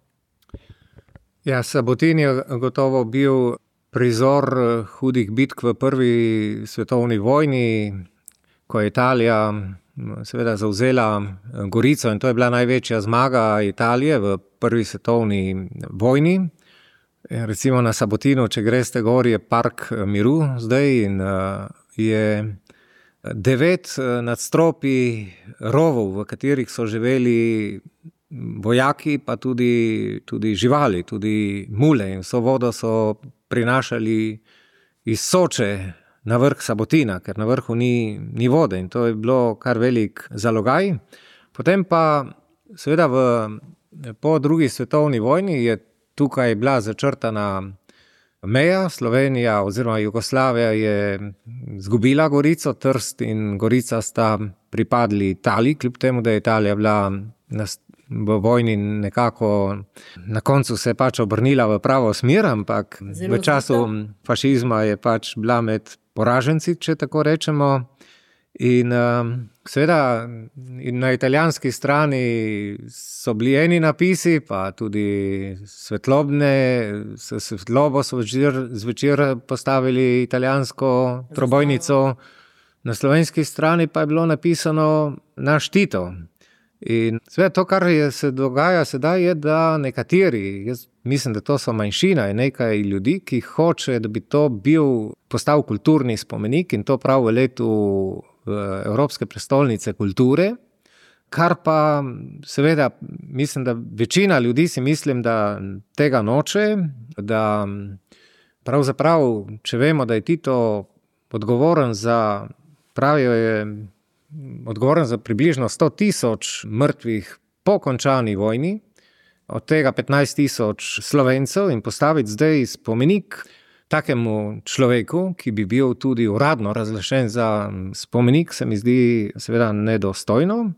Ja, Sabotin je gotovo bil prizor hudih bitk v prvi svetovni vojni, ko je Italija seveda zavzela Gorico in to je bila največja zmaga Italije v prvi svetovni vojni. Recimo na Sabotinu, če greste gor, je park miru zdaj in je 9 nadstropij rovov, v katerih so živeli vojaki, pa tudi živali, tudi mule in vso vodo so prinašali iz Soče na vrh Sabotina, ker na vrhu ni vode in to je bilo kar velik zalogaj. Potem pa seveda po drugi svetovni vojni je tukaj bila začrtana meja. Slovenija oziroma Jugoslavija je zgubila Gorico, Trst in Gorica sta pripadli Italiji, kljub temu, da je Italija bila v vojni nekako na koncu se je pač obrnila v pravo smer, ampak v času fašizma je pač bila med poraženci, če tako rečemo. In seveda na italijanski strani so bili eni napisi, pa tudi svetlobne, svetlobo so zvečer postavili italijansko trobojnico, na slovenski strani pa je bilo napisano naš Tito. In seveda to, kar se dogaja sedaj, je, da nekateri, jaz mislim, da to so manjšina, je nekaj ljudi, ki hoče, da bi to postal kulturni spomenik in to prav v letu Evropske prestolnice kulture, kar pa seveda mislim, da večina ljudi si mislim, da tega noče, da pravzaprav, če vemo, da je Tito odgovoren za približno 100,000 mrtvih po končani vojni, od tega 15,000 Slovencev in postaviti zdaj spomenik takemu človeku, ki bi bil tudi uradno razglašen za spomenik, se mi zdi seveda nedostojno.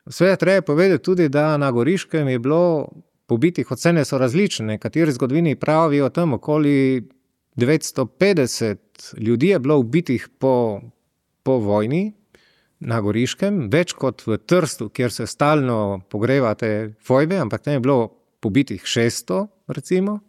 Seveda treba povedati tudi, da na Goriškem je bilo pobitih, ocene so različne, kateri zgodovini pravijo tam okoli 950 ljudi je bilo ubitih po vojni na Goriškem, več kot v Trstu, kjer se stalno pogrevate fojbe, ampak tam je bilo pobitih 600, recimo.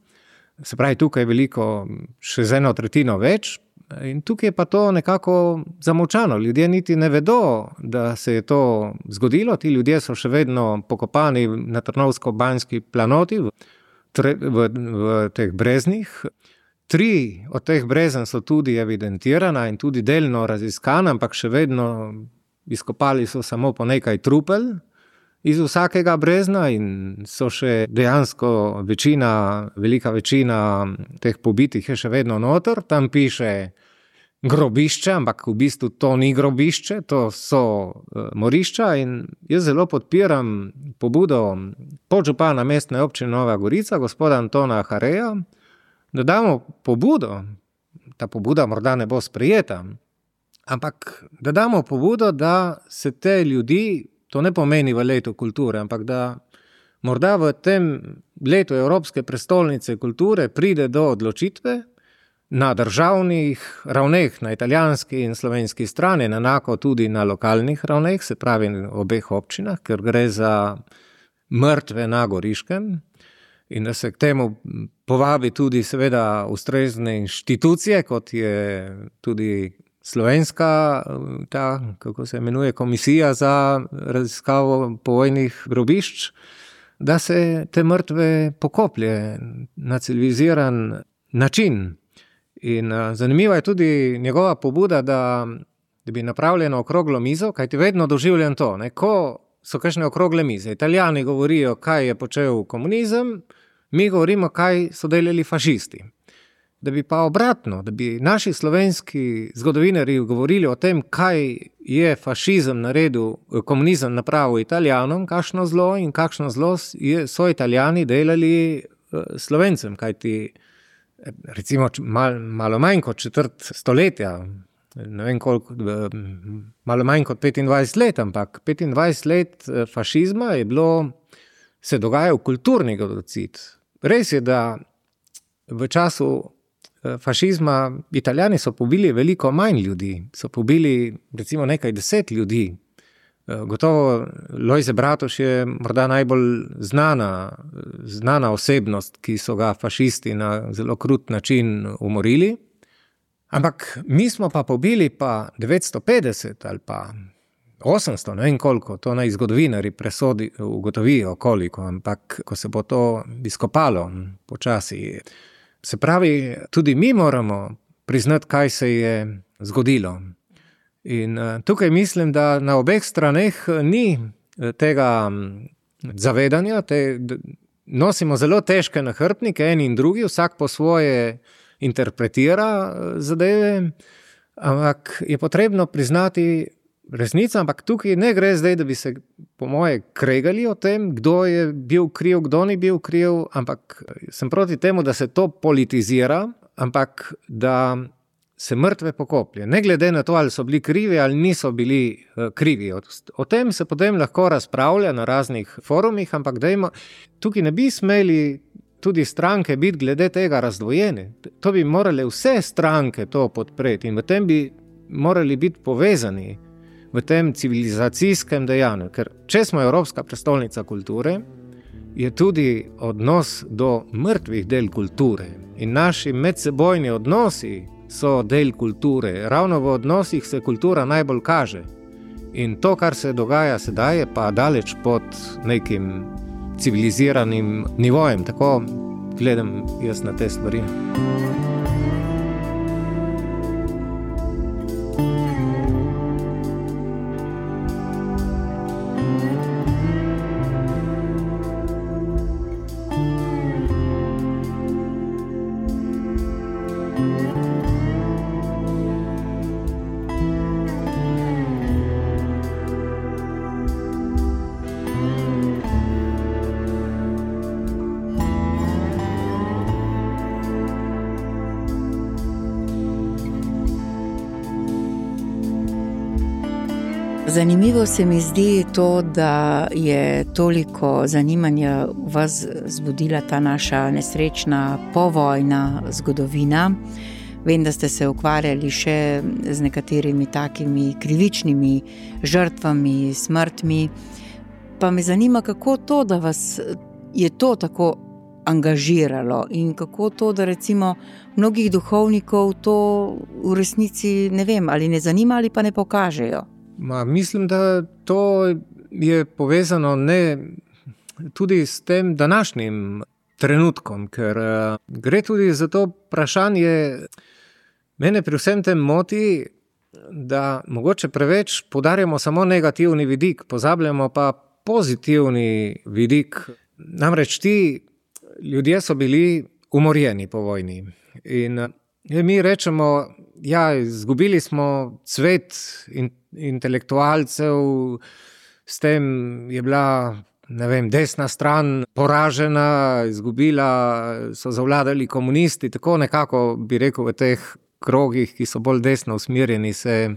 Se pravi, tukaj je veliko, še z 1/3 več. In tukaj je pa to nekako zamolčano. Ljudje niti ne vedo, da se je to zgodilo. Ti ljudje so še vedno pokopani na Trnovsko-Banjski planoti v teh breznih. 3 od teh brezen so tudi evidentirana in tudi delno raziskana, ampak še vedno izkopali so samo po nekaj trupel iz vsakega brezna in so še dejansko velika večina teh pobitih je še vedno noter. Tam piše grobišče, ampak v bistvu to ni grobišče, to so morišča in jaz zelo podpiram pobudo podžupana mestne občine Nova Gorica, gospoda Antona Hareja, da damo pobudo, ta pobuda morda ne bo sprejeta, ampak da damo pobudo, da se te ljudi, to ne pomeni v letu kulture, ampak da morda v tem letu Evropske prestolnice kulture pride do odločitve na državnih ravneh, na italijanski in slovenski strani, enako tudi na lokalnih ravneh, se pravi v obeh občinah, ker gre za mrtve na Goriškem, in da se k temu povabi tudi seveda ustrezne inštitucije, kot je tudi slovenska, kako se imenuje, komisija za raziskavo povojnih grobišč, da se te mrtve pokoplje na civiliziran način. In zanimiva je tudi njegova pobuda, da bi napravljeno okroglo mizo, kajti vedno doživljam to, ko so kakšne okrogle mize. Italijani govorijo, kaj je počel komunizem, mi govorimo, kaj so delali fašisti. Da bi pa obratno, da bi naši slovenski zgodovinarji govorili o tem, kaj je fašizem naredil, komunizem napravil Italijanom, kakšno zlo in kakšno zlo so Italijani delali Slovencem, kajti recimo malo manj kot četrt stoletja, ne vem koliko, malo manj kot 25 let, ampak 25 let fašizma je bilo, se dogajal kulturni genocid. Res je, da v času fašizma Italijani so pobili veliko manj ljudi, so pobili recimo nekaj 10 ljudi. Gotovo Lojze Bratuš je morda najbolj znana osebnost, ki so ga fašisti na zelo krut način umorili. Ampak mi smo pa pobili pa 950 ali pa 800, ne vem koliko, to naj zgodovinarji ugotovijo koliko, ampak ko se bo to izkopalo počasi. Se pravi, tudi mi moramo priznati, kaj se je zgodilo. In tukaj mislim, da na obeh straneh ni tega zavedanja, nosimo zelo težke nahrbtnike, eni in drugi, vsak po svoje interpretira zadeve, ampak je potrebno priznati resnico, ampak tukaj ne gre zdaj, da bi se po moje kregali o tem, kdo je bil kriv, kdo ni bil kriv, ampak sem proti temu, da se to politizira, ampak da se mrtve pokoplje. Ne glede na to, ali so bili krivi ali niso bili krivi. O tem se potem lahko razpravlja na raznih forumih, ampak tukaj ne bi smeli tudi stranke biti glede tega razdvojene. To bi morale vse stranke to podpreti in v tem bi morali biti povezani v tem civilizacijskem dejanju. Ker če smo Evropska prestolnica kulture, je tudi odnos do mrtvih del kulture in naši medsebojni odnosi so del kulture. Ravno v odnosih se kultura najbolj kaže. In to, kar se dogaja sedaj, je pa daleč pod nekim civiliziranim nivojem. Tako gledam jaz na te stvari. Zanimivo se mi zdi to, da je toliko zanimanja v vas zbudila ta naša nesrečna povojna zgodovina. Vem, da ste se ukvarjali še z nekaterimi takimi krivičnimi žrtvami, smrtmi. Pa me zanima, kako to, da vas je to tako angažiralo in kako to, da recimo mnogih duhovnikov to v resnici ne vem, ali ne zanima ali pa ne pokažejo. Mislim, da to je povezano tudi s tem današnjim trenutkom, ker gre tudi za to vprašanje. Mene pri vsem tem moti, da mogoče preveč poudarjamo samo negativni vidik, pozabljamo pa pozitivni vidik. Namreč ti ljudje so bili umorjeni po vojni in mi rečemo, izgubili smo cvet intelektualcev, s tem je bila, desna stran poražena, so zavladali komunisti, tako nekako bi rekel v teh krogih, ki so bolj desno usmerjeni, se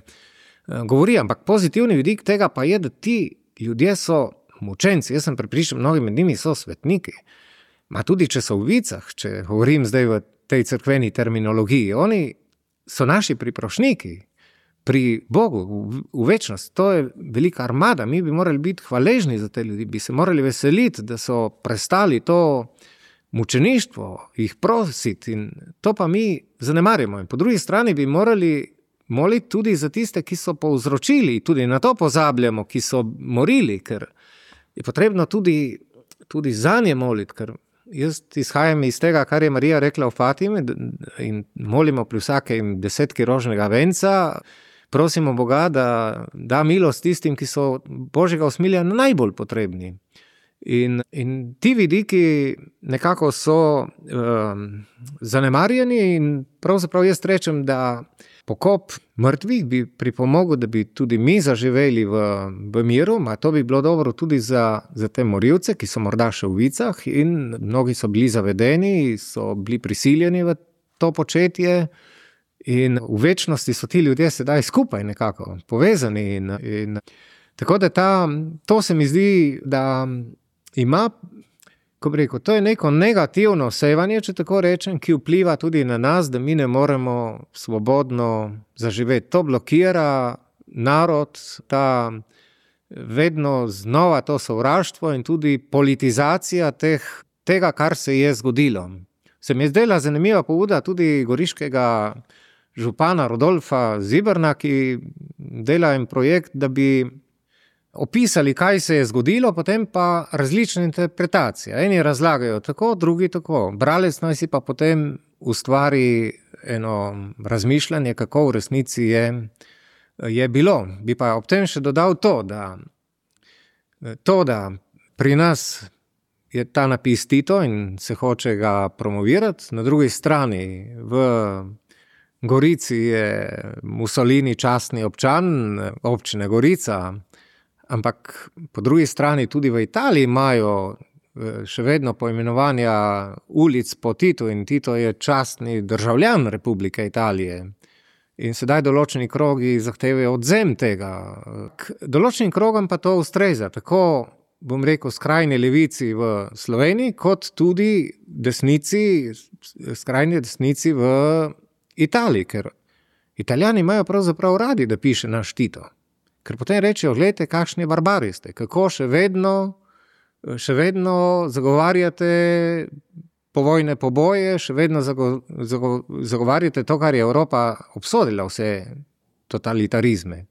govori, ampak pozitivni vidik tega pa je, da ti ljudje so mučenci. Jaz sem prepričan, mnogi med njimi so svetniki. Tudi če so v vicah, če govorim zdaj v tej cerkveni terminologiji, oni so naši priprošniki pri Bogu v večnost. To je velika armada, mi bi morali biti hvaležni za te ljudi, bi se morali veseliti, da so prestali to mučeništvo, jih prositi in to pa mi zanemarjamo. In po drugi strani bi morali moliti tudi za tiste, ki so povzročili, tudi na to pozabljamo, ki so morili, ker je potrebno tudi za nje moliti, ker jaz izhajam iz tega, kar je Marija rekla v Fatimi in molimo pri vsakem 10 rožnega venca, prosimo Boga, da da milost tistim, ki so Božjega usmilja najbolj potrebni. In ti vidiki nekako so zanemarjeni in pravzaprav jaz rečem, da pokop mrtvih bi pripomogel, da bi tudi mi zaživeli v miru, a to bi bilo dobro tudi za te morilce, ki so morda še v vicah in mnogi so bili zavedeni, so bili prisiljeni v to početje in v večnosti so ti ljudje sedaj skupaj nekako povezani in tako da to se mi zdi, da ima, ko bi rekel, to je neko negativno sevanje, če tako rečem, ki vpliva tudi na nas, da mi ne moremo svobodno zaživeti. To blokira narod, vedno znova to sovraštvo in tudi politizacija tega, kar se je zgodilo. Se mi je zdela zanimiva pobuda tudi goriškega župana Rodolfa Ziberna, ki dela en projekt, da bi opisali, kaj se je zgodilo, potem pa različne interpretacije. Eni razlagajo tako, drugi tako. Bralec naj si pa potem ustvari eno razmišljanje, kako v resnici je bilo. Bi pa ob tem še dodal da pri nas je ta napis Tito in se hoče ga promovirati, na drugi strani v Gorici je Mussolini častni občan občine Gorica, ampak po drugi strani tudi v Italiji imajo še vedno poimenovanja ulic po Titu in Tito je častni državljan Republike Italije. In sedaj določeni krogi zahtevajo odvzem tega. Določenim krogom pa to ustreza, tako bom rekel skrajni levici v Sloveniji, kot tudi skrajni desnici v Italiji, ker Italijani imajo pravzaprav radi, da piše naš Tito. Ker potem rečejo, gledajte, kakšni barbari ste, kako še vedno zagovarjate povojne poboje, še vedno zagovarjate to, kar je Evropa obsodila, vse totalitarizme.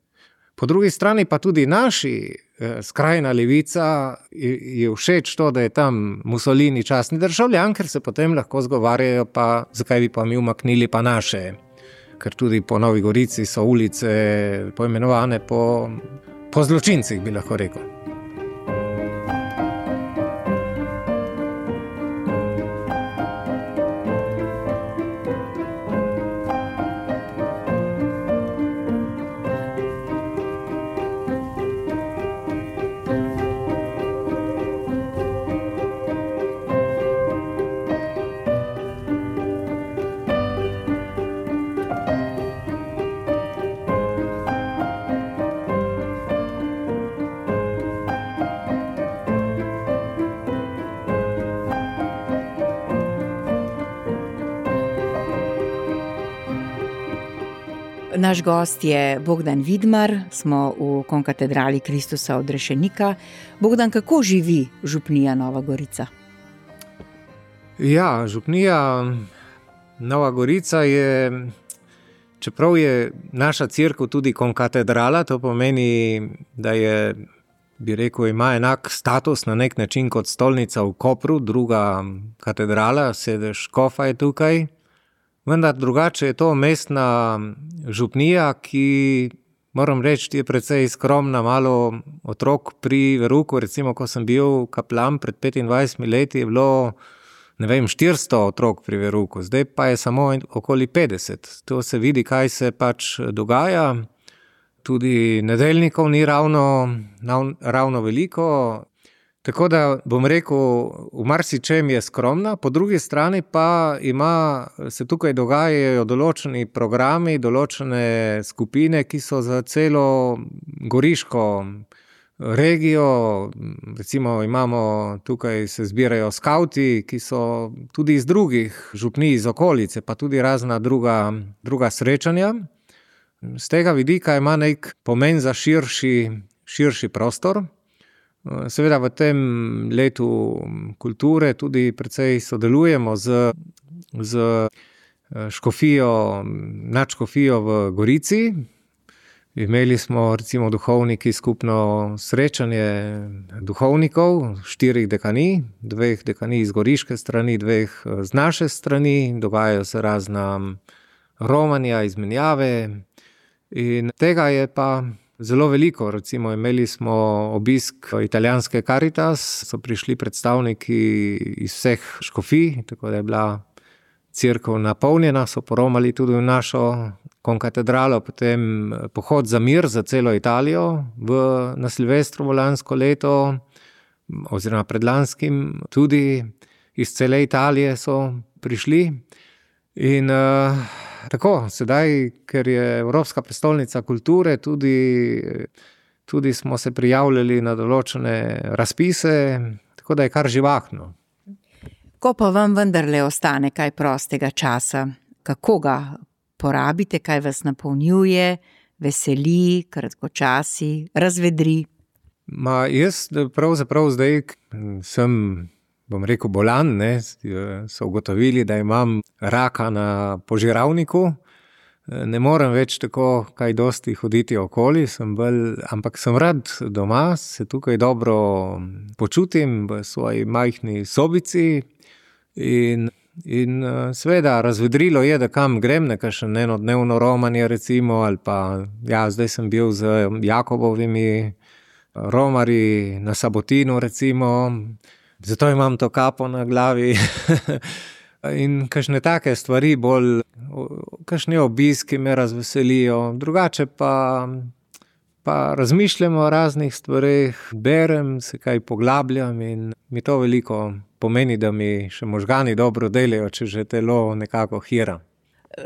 Po drugi strani pa tudi naši skrajna levica je všeč to, da je tam Mussolini častni državljan, ker se potem lahko zgovarjajo, pa zakaj bi pa mi umaknili pa naše. Ker tudi po Novi Gorici so ulice poimenovane po zločincih, bi lahko rekel. Naš gost je Bogdan Vidmar, smo v konkatedrali Kristusa odrešenika. Bogdan, kako živi župnija Nova Gorica? Ja, župnija Nova Gorica je, čeprav je naša cerkev tudi konkatedrala, to pomeni, da je, bi rekel, ima enak status na nek način kot stolnica v Kopru, druga katedrala, sedež škofa je tukaj. Vendar drugače je to mestna župnija, ki, moram reči, je precej skromna, malo otrok pri verouku. Recimo, ko sem bil kaplan pred 25 leti, je bilo, 400 otrok pri verouku. Zdaj pa je samo okoli 50. To se vidi, kaj se pač dogaja. Tudi nedeljnikov ni ravno veliko. Tako da bom rekel, v marsičem je skromna, po drugi strani pa se tukaj dogajajo določeni programi, določene skupine, ki so za celo goriško regijo. Recimo tukaj se zbirajo skavti, ki so tudi iz drugih župnij, iz okolice, pa tudi razna druga srečanja. Z tega vidika ima nek pomen za širši prostor. Seveda v tem letu kulture tudi precej sodelujemo z škofijo, nadškofijo v Gorici. Imeli smo recimo duhovniki skupno srečanje duhovnikov, 4 dekanij, 2 dekanij z goriške strani, 2 z naše strani, dogajajo se razna romanja, izmenjave in tega je pa zelo veliko. Recimo imeli smo obisk italijanske Caritas, so prišli predstavniki iz vseh škofij, tako da je bila cerkev napolnjena, so poromali tudi v našo konkatedralo, potem pohod za mir za celo Italijo na Silvestrovo lansko leto, oziroma predlanskim, tudi iz cele Italije so prišli. In tako, sedaj, ker je Evropska prestolnica kulture, tudi smo se prijavljali na določene razpise, tako da je kar živahno. Ko pa vam vendarle ostane kaj prostega časa, kako ga porabite, kaj vas napolnjuje, veseli, kratkočasi, razvedri? Jaz pravzaprav zdaj sem, bom rekel, bolan, ne, so ugotovili, da imam raka na požiralniku. Ne morem več tako kaj dosti hoditi okoli, ampak sem rad doma, se tukaj dobro počutim v svoji majhni sobici in seveda razvedrilo je, da kam grem, nekakšen enodnevno romanje recimo, ali pa, zdaj sem bil z Jakobovimi romarji na Sabotinu recimo, zato imam to kapo na glavi in kakšne take stvari bolj, kakšne obiski me razveselijo, drugače pa razmišljam o raznih stvareh, berem, se kaj poglabljam in mi to veliko pomeni, da mi še možgani dobro delajo, če že telo nekako hira.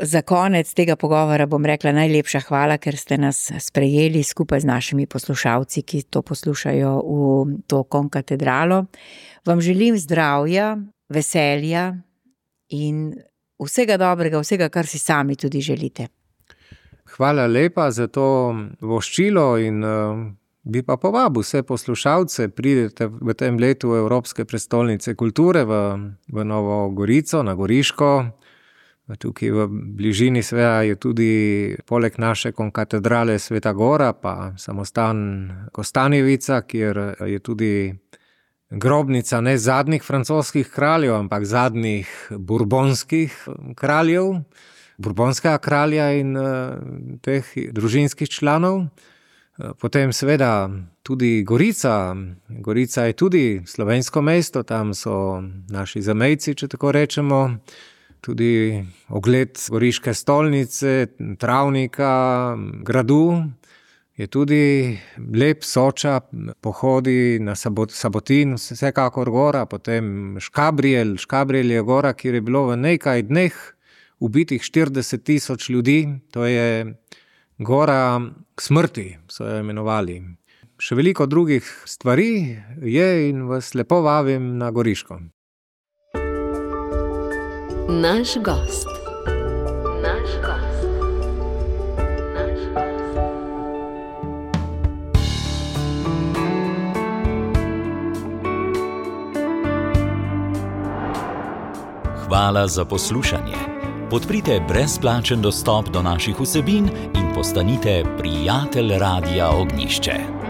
Za konec tega pogovora bom rekla najlepša hvala, ker ste nas sprejeli skupaj z našimi poslušalci, ki to poslušajo v to konkatedralo. Vam želim zdravja, veselja in vsega dobrega, vsega, kar si sami tudi želite. Hvala lepa za to voščilo in bi pa povabil vse poslušalce, pridete v tem letu Evropske prestolnice kulture v Novo Gorico, na Goriško. Tukaj v bližini seveda je tudi poleg naše konkatedrale Sveta Gora, pa samostan Kostanjevica, kjer je tudi grobnica ne zadnjih francoskih kraljev, ampak zadnjih burbonskih kraljev, burbonskega kralja in teh družinskih članov. Potem seveda tudi Gorica. Gorica je tudi slovensko mesto, tam so naši zamejci, če tako rečemo. Tudi ogled goriške stolnice, travnika, gradu. Je tudi lep Soča, pohodi na Sabotin, vsekakor gora, potem Škabrjel. Škabrjel je gora, kjer je bilo v nekaj dneh ubitih 40,000 ljudi. To je gora smrti, so jo imenovali. Še veliko drugih stvari je in vas lepo vabim na Goriško. Naš gost. Naš gost. Naš gost. Hvala za poslušanje. Podprite brezplačen dostop do naših vsebin in postanite prijatelj Radia Ognjišče.